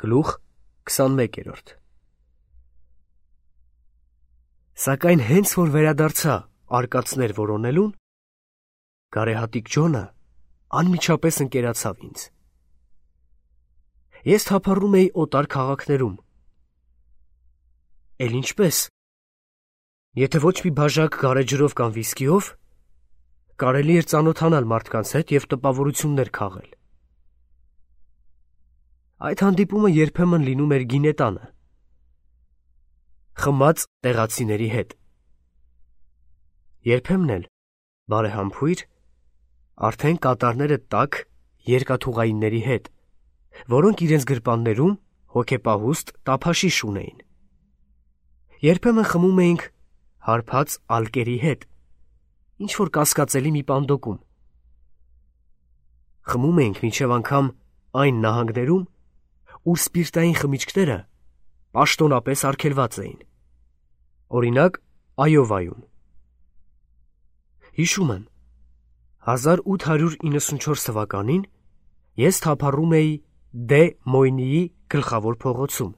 Գլուխ 21 Սակայն հենց որ վերադարձա արկածներ որոնելուն, գարեհատիկ Ջոնը անմիջապես ընկերացավ ինձ։ Ես թափառում էի օտար քաղաքներում։ Էլ ինչպես, եթե ոչ մի բաժակ գարեջրով կամ վիսկիով, կարելի էր ծանոթանալ մարդկանց հետ և տպավորություններ քաղել։ Այդ հանդիպումը երբեմն լինում էր գինետանը, խմած տեղացիների հետ։ Երբեմն էլ, բարեհամբույր, արդեն կատարները տաք երկաթուղայինների հետ, որոնք իրենց գրպաններում հոգեպահուստ տափաշիշ ունեին։ Երբեմն խմում էինք հարբած ալկերի հետ, ինչ-որ կասկածելի մի պանդոկում։ Խմում էինք մինչև անգամ այն նահանգներում, ուր սպիրտային խմիչքները պաշտոնապես արգելված էին, օրինակ Այովայում։ Հիշում եմ, 1894 թվականին ես թափառում էի Դե Մոյնիի գլխավոր փողոցում,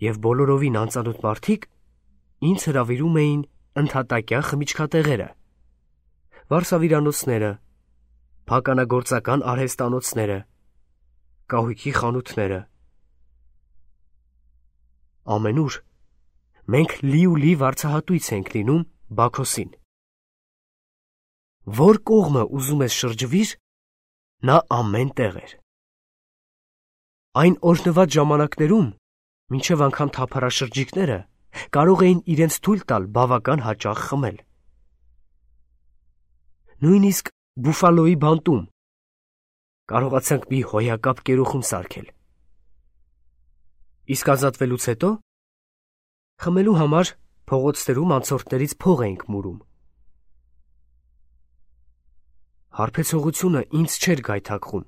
և բոլորովին անծանոթ մարդիկ ինձ հրավիրում էին ընդհատակյա խմիչքատեղերը, վարսավիրանոցները, փականագործական արհեստանոցները, կահույքի խանութները։ Ամենուր մենք լի վարձահատույց ենք լինում Բաքոսին։ Որ կողմը ուզում ես շրջվիր, նա ամեն տեղ էր։ Այն օրհնված ժամանակներում, մինչև անգամ թափառաշրջիկները կարող էին իրենց թույլ տալ բավական հաճախ խմել։ Նույնիսկ Բուֆալոյի բանտում կարողացանք մի հոյակապ կերուխում սարքել։ Իսկ ազատվելուց հետո խմելու համար փողոցներում անցորդներից փող էինք մուրում։ Հարբեցողությունը ինձ չէր գայթակղում,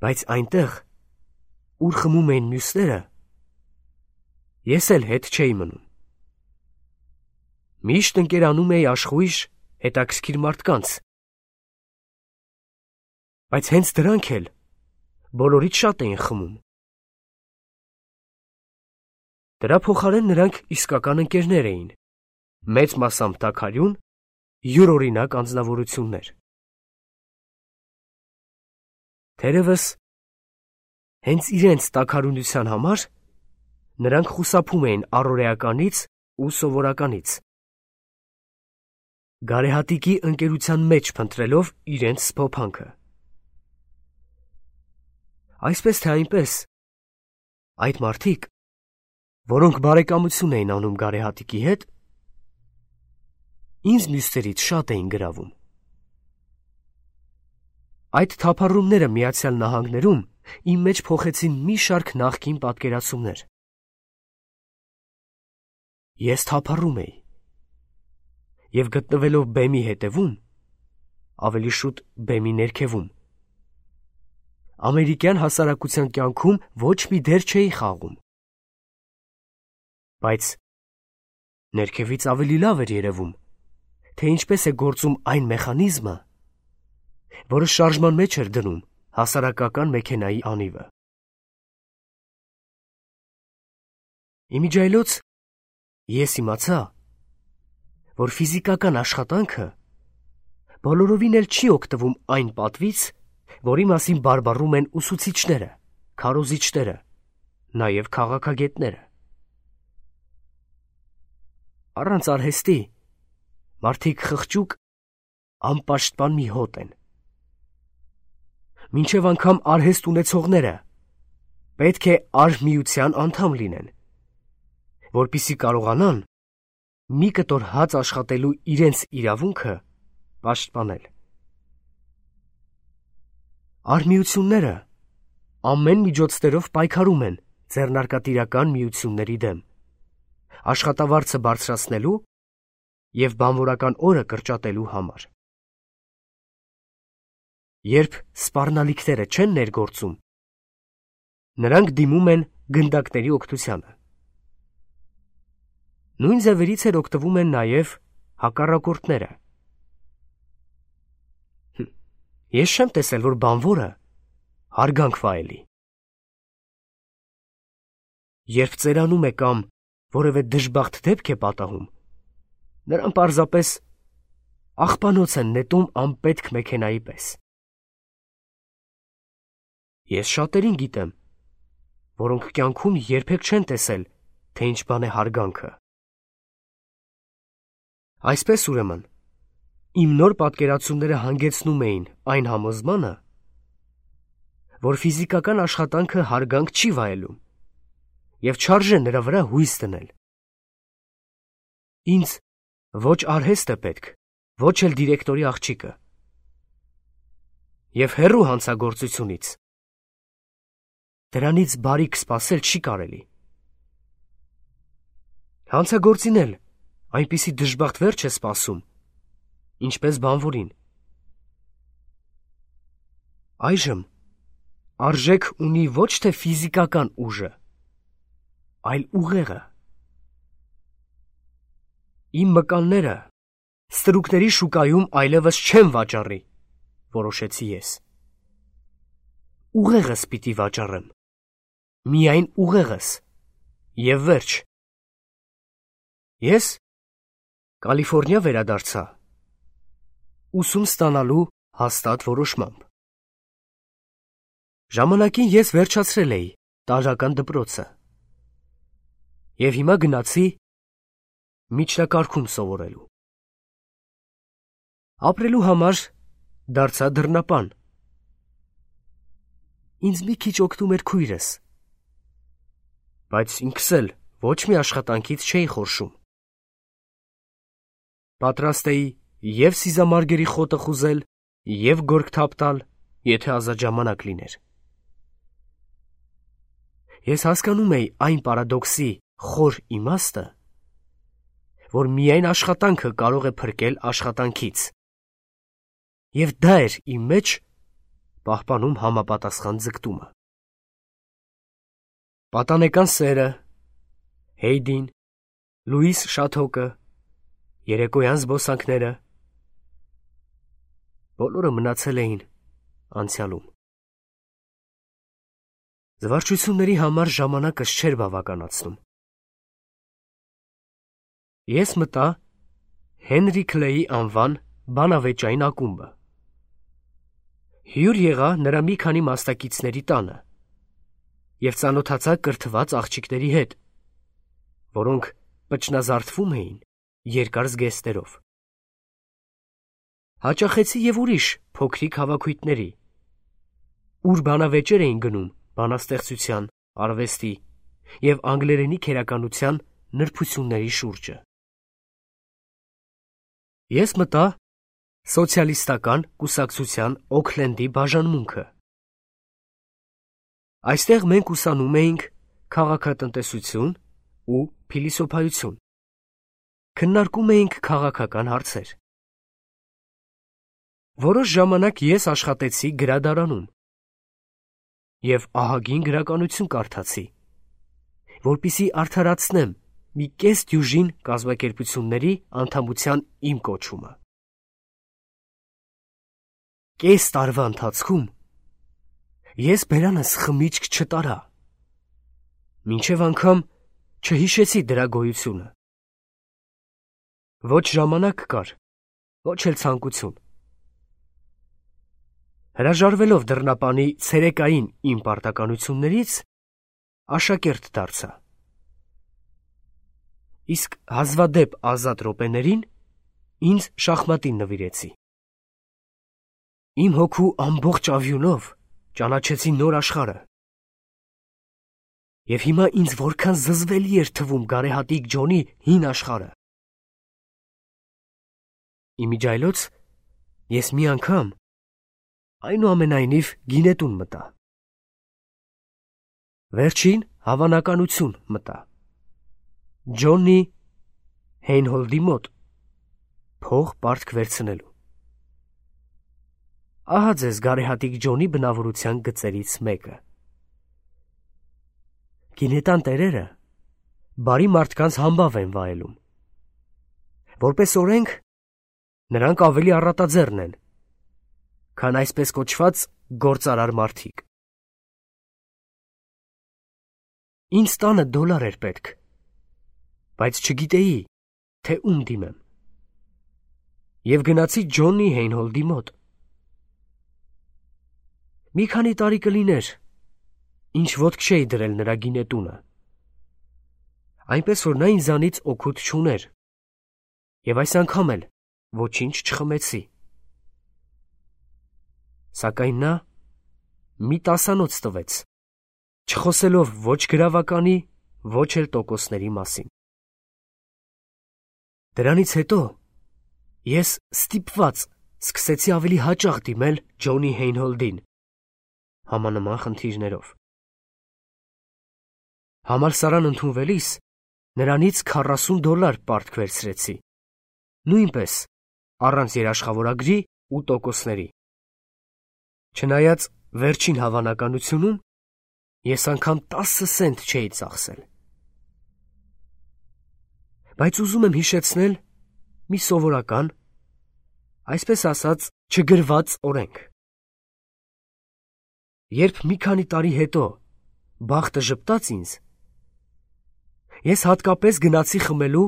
բայց այնտեղ, ուր խմում էին մյուսները, ես էլ հետ չէի մնում։ Միշտ ընկերանում էի աշխույժ հետաքրքիր մարդկանց, բայց հենց դրանք էլ բոլորից շատ էին խմում։ Դրա փոխարեն նրանք իսկական ընկերներ էին, մեծ մասամբ տաքարյուն, յուրօրինակ անձնավորություններ։ Թերևս հենց իրենց տաքարյունության համար նրանք խուսափում էին առօրեականից ու սովորականից, գարեհատիկի ընկերության մեջ փնտրելով իրենց սփոփանքը։ Այսպես թե այնպես, այդ մարդիկ, որոնք բարեկամություն էին անում գարեհատիկի հետ, ինձ մյուսներից շատ էին գրավում։ Այդ թափառումները Միացյալ Նահանգներում իմ մեջ փոխեցին մի շարք նախկին պատկերացումներ։ Ես թափառում էի, և գտնվելով բեմի հետևում, ավելի շուտ բեմի ներքևում, ամերիկյան հասարակության կյանքում ոչ մի դեր չէի խաղում։ Բայց ներքևից ավելի լավ էր երևում, թե ինչպես է գործում այն մեխանիզմը, որը շարժման մեջ էր դնում հասարակական մեքենայի անիվը։ Իմիջիայլոց ես իմացա, որ ֆիզիկական աշխատանքը բոլորովին էլ չի օգտվում այն պատվից, որի մասին բարբառում են ուսուցիչները, քարոզիչները, նաև քաղաքագետները։ Առանց արհեստի մարդիկ խղճուկ, անպաշտպան մի հոտ են։ Մինչև անգամ արհեստ ունեցողները պետք է արհմիության անդամ լինեն, որպեսզի կարողանան մի կտոր հաց աշխատելու իրենց իրավունքը պաշտպանել։ Արհմիությունները ամեն միջոցներով պայքարում են ձեռնարկատիրական միությունների դեմ, աշխատավարձը բարձրացնելու և բանվորական օրը կրճատելու համար։ Երբ սպառնալիքները չեն ներգործում, նրանք դիմում են գնդակների օգնությանը։ Նույն ձևերից էլ օգտվում են նաև հակառակորդները։ Ես չեմ տեսել, որ բանվորը հարգանք վայելի։ երբ ծերանում է կամ որևէ դժբախտ դեպք է պատահում, նրան պարզապես աղբանոց են նետում անպետք մեքենայի պես։ Ես շատերին գիտեմ, որոնք կյանքում երբեք չեն տեսել, թե ինչ բան է հարգանքը։ Այսպես ուրեմն, իմ նոր պատկերացումները հանգեցնում էին այն համոզմանը, որ ֆիզիկական աշխատանքը հարգանք չի վայելում և չարժե նրա վրա հույս դնել։ Ինձ ոչ արհեստ է պետք, ոչ էլ դիրեկտորի աղջիկը։ Եվ հեռու հանցագործությունից դրանից բարիք սպասել չի կարելի։ Հանցագործին էլ այնպիսի դժբախտ վերջ է սպասում, ինչպես բանվորին։ Այժմ արժեք ունի ոչ թե ֆիզիկական ուժը, այլ ուղեղը։ Իմ մկանները ստրուկների շուկայում այլևս չեմ վաճառի, որոշեցի ես։ Ուղեղս պիտի վաճառեմ, միայն ուղեղս, և վերջ։ Ես Կալիֆորնիա վերադարձա, ուսում ստանալու հաստատ որոշմամբ։ Ժամանակին ես վերջացրել էի տարրական դպրոցը և հիմա գնացի միջնակարգում սովորելու։ Ապրելու համար դարձա դռնապան։ Ինձ մի քիչ օգնում էր քույրս, բայց ինքս էլ ոչ մի աշխատանքից չէի խորշում։ Պատրաստ էի և սիզամարգերի խոտը խուզել, և գորգ թափ տալ, եթե ազատ ժամանակ լիներ։ Ես հասկանում էի այն պարադոքսի խոր իմաստը, որ միայն աշխատանքը կարող է փրկել աշխատանքից, և դա էր իմ մեջ պահպանում համապատասխան ձգտումը։ Պատանեկան սերը, Հեյդին, Լուիս Շաթոկը, երեկոյան զբոսանքները բոլորը մնացել էին անցյալում։ Զվարճությունների համար ժամանակս չէր բավականացնում։ Ես մտա Հենրի Քլեյի անվան բանավեճային ակումբը։ Հյուր եղա նրա մի քանի մասնակիցների տանը և ծանոթացա կրթված աղջիկների հետ, որոնք պճնազարդվում էին երկար զգեստերով։ Հաճախեցի և ուրիշ փոքրիկ հավաքույթների, ուր բանավեճեր էին գնում բանաստեղծության, արվեստի և անգլերենի քերականության նրբությունների շուրջը։ Ես մտա սոցիալիստական կուսակցության Օքլենդի բաժանմունքը։ Այստեղ մենք ուսանում էինք քաղաքատնտեսություն ու փիլիսոփայություն, քննարկում էինք քաղաքական հարցեր։ Որոշ ժամանակ ես աշխատեցի գրադարանում և ահագին գրականություն կարդացի, որպեսզի արդարացնեմ մի կես դյուժին կազմակերպությունների անդամության իմ կոչումը։ Կես տարվա ընթացքում ես բերանս խմիչք չտարա, մինչև անգամ չհիշեցի դրա գոյությունը։ Ոչ ժամանակ կար, ոչ էլ ցանկություն։ Հրաժարվելով դռնապանի ցերեկային իմ պարտականություններից, աշակերտ դարձա։ Իսկ հազվադեպ ազատ րոպեներին ինձ շախմատին նվիրեցի։ Իմ հոգու ամբողջ ավյունով ճանաչեցի նոր աշխարհը։ Եվ հիմա ինձ որքան զզվելի էր թվում գարեհատիկ Ջոնի հին աշխարհը։ Իմիջիայլոց ես մի անգամ այնուամենայնիվ գինետուն մտա։ Վերջին հավանականություն մտա։ Ջոնի Հեյնհոլդի մոտ փող պարտք վերցնելու։ Ահա ձեզ գարեհատիկ Ջոնի բնավորության գծերից մեկը։ Գինետան տերերը բարի մարդկանց համբավ են վայելում։ Որպես օրենք, նրանք ավելի առատաձեռն են, քան այսպես կոչված գործարար մարդիկ։ Ինձ $10 էր պետք, բայց չգիտեի, թե ում դիմեմ։ Եվ գնացի Ջոնի Հեյնհոլդի մոտ։ Մի քանի տարի կլիներ, ինչ ոտք չէի դրել նրա գինետունը, այնպես որ նա ինձանից օգուտ չուներ, և այս անգամ էլ ոչինչ չխմեցի։ Սակայն նա մի տասանոց տվեց, չխոսելով ոչ գրավականի, ոչ էլ տոկոսների մասին։ Դրանից հետո ես ստիպված սկսեցի ավելի հաճախ դիմել Ջոնի Հեյնհոլդին համանման խնդիրներով։ Համալսարան ընդունվելիս նրանից $40 պարտք վերցրեցի, նույնպես առանց երաշխավորագրի ու տոկոսների։ Չնայած վերջին հավանականությունում ես անգամ 10 սենտ չէի ծախսել։ Բայց ուզում եմ հիշեցնել մի սովորական, այսպես ասած, չգրված օրենք։ Երբ մի քանի տարի հետո բախտը ժպտաց ինձ, ես հատկապես գնացի խմելու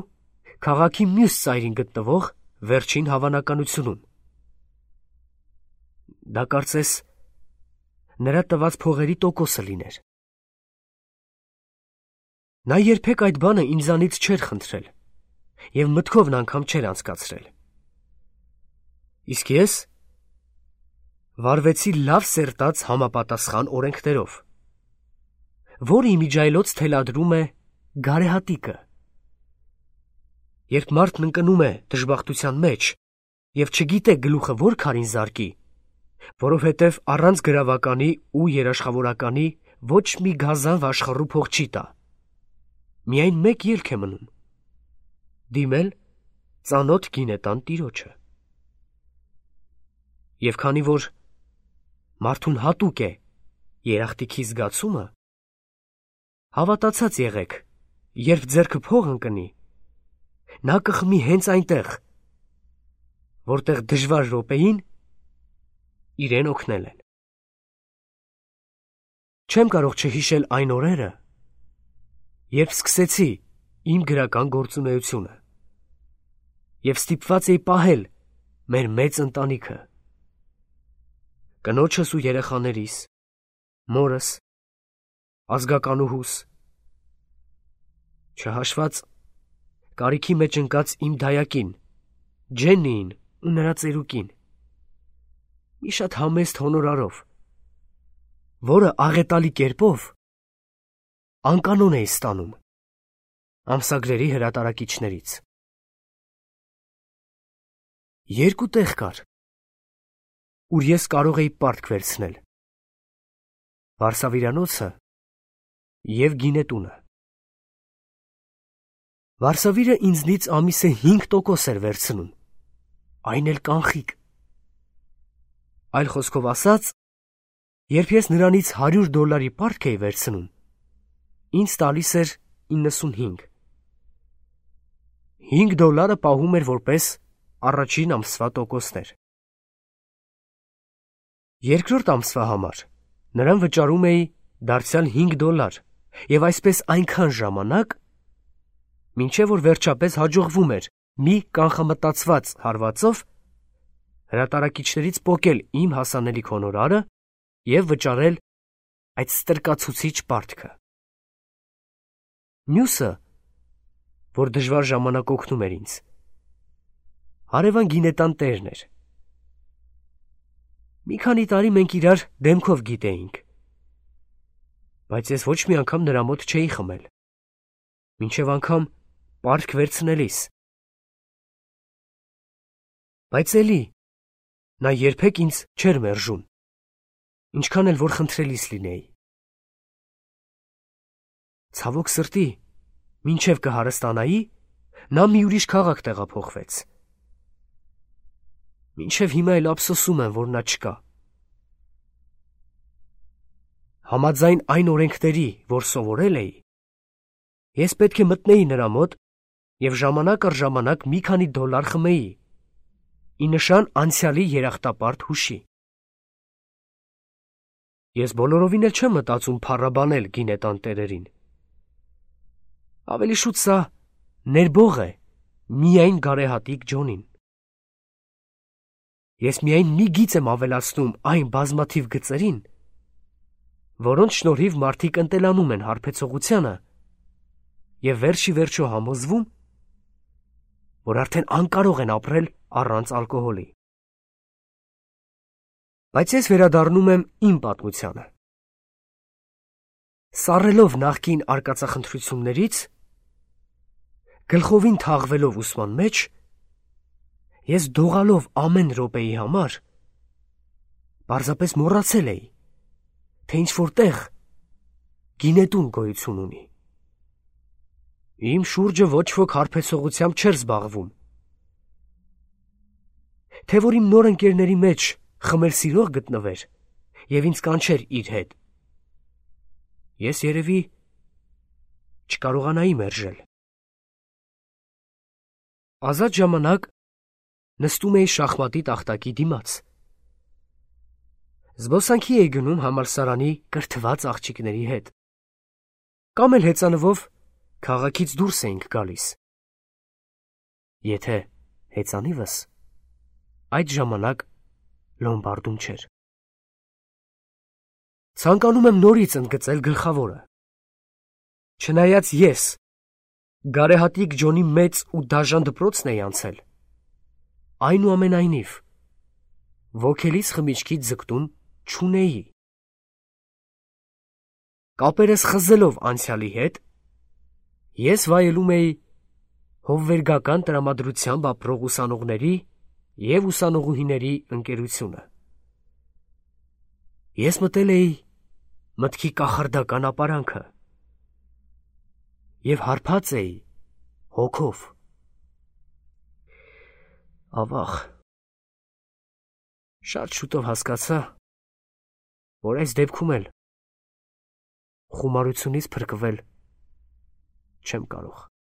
քաղաքի մյուս ծայրին գտնվող վերջին հավանականությունում։ Դա կարծես նրա տված փողերի տոկոսը լիներ։ Նա երբեք այդ բանը ինձանից չէր խնդրել և մտքովն անգամ չէր անցկացրել։ Իսկ ես վարվեցի լավ սերտած համապատասխան օրենքներով, որը իմիջիայլոց թելադրում է գարեհատիկը։ Երբ մարդն ընկնում է դժբախտության մեջ և չգիտե գլուխը որ քարին զարկի, որովհետև առանց գրավականի ու երաշխավորականի ոչ մի գազան վաշխառու փող չի տա, միայն մեկ ելք է մնում՝ դիմել ծանոթ գինետան տիրոջը։ Եվ քանի որ մարդուն հատուկ է երախտիքի զգացումը, հավատացած եղեք, երբ ձեռքը փող ընկնի, նա կխմի հենց այնտեղ, որտեղ դժվար րոպեին իրեն օգնել են։ Չեմ կարող չհիշել այն օրերը, երբ սկսեցի իմ գրական գործունեությունը և ստիպված էի պահել մեր մեծ ընտանիքը, կնոջս ու երեխաներիս, մորս, ազգականուհուս, չհաշված կարիքի մեջ ընկած իմ դայակին, Ջեննիին ու նրա ծերուկին, մի շատ համեստ հոնորարով, որը աղետալի կերպով անկանոն էի ստանում ամսագրերի հրատարակիչներից։ Երկու տեղ կար, ուր ես կարող էի պարտք վերցնել. վարսավիրանոցը և գինետունը։ Վարսավիրը ինձնից ամիսը 5% էր վերցնում, այն էլ կանխիկ։ Այլ խոսքով ասած, երբ ես նրանից $100 պարտք էի վերցնում, ինձ տալիս էր 95։ $5 պահում էր որպես առաջին ամսվա տոկոսներ։ Երկրորդ ամսվա համար նրան վճարում էի դարձյալ $5 և այսպես այնքան ժամանակ, մինչև որ վերջապես հաջողվում էր մի կանխամտածված հարվածով հրատարակիչներից պոկել իմ հասանելիք հոնորարը և վճարել այդ ստրկացուցիչ պարտքը։ Մյուսը, որ դժվար ժամանակ օգնում էր ինձ, հարևան գինետան տերն էր։ Մի քանի տարի մենք իրար դեմքով գիտեինք, բայց ես ոչ մի անգամ նրա մոտ չէի խմել, մինչև անգամ պարտք վերցնելիս։ Բայց էլի նա երբեք ինձ չէր մերժում, ինչքան էլ որ խնդրելիս լինեի։ Ցավոք սրտի, մինչև կհարստանայի, նա մի ուրիշ քաղաք տեղափոխվեց։ Մինչև հիմա էլ ափսոսում եմ, որ նա չկա։ Համաձայն այն օրենքների, որ սովորել էի, ես պետք է մտնեի նրա մոտ և ժամանակ առ ժամանակ մի քանի $, խմեի, ի նշան անցյալի երախտապարտ հուշի։ Ես բոլորովին էլ չեմ մտածում փառաբանել գինետան տերերին, Ավելի շուտ սա ներբող է միայն գարեհատիկ Ջոնին։ Ես միայն մի գիծ եմ ավելացնում այն բազմաթիվ գծերին, որոնց շնորհիվ մարդիկ ընտելանում են հարբեցողությանը և վերջի վերջո համոզվում, որ արդեն անկարող են ապրել առանց ալկոհոլի։ Բայց ես վերադառնում եմ իմ պատմությանը։ Սառելով նախկին արկածախնդրություններից, գլխովին թաղվելով ուսման մեջ, ես դողալով ամեն րոպեի համար, պարզապես մոռացել էի, թե ինչ-որ տեղ գինետուն գոյություն ունի։ Իմ շուրջը ոչ ոք հարբեցողությամբ չէր զբաղվում, թե որ իմ նոր ընկերների մեջ խմել սիրող գտնվեր և ինձ կանչեր իր հետ, ես երևի չկարողանայի մերժել։ Ազատ ժամանակ նստում էի շախմատի տախտակի դիմաց։ Զբոսանքի էի գնում համալսարանի կրթված աղջիկների հետ, կամ էլ հեծանվով քաղաքից դուրս էինք գալիս։ Եթե հեծանիվս այդ ժամանակ Լոմբարդում չէր։ Ցանկանում եմ նորից ընդգծել գլխավորը։ Չնայած ես գարեհատիկ Ջոնի մեծ ու դաժան դպրոցն էի անցել, այնուամենայնիվ ոգելից խմիչքի ձգտում չունեի։ Կապերս խզելով անցյալի հետ, ես վայելում էի հովվերգական տրամադրությամբ ապրող ուսանողների և ուսանողուհիների ընկերությունը։ Ես մտել էի մտքի կախարդական ապարանքը և հարբած էի հոգով։ Ավաղ, շատ շուտով հասկացա, որ այս դեպքում էլ խումարությունից փրկվել չեմ կարող։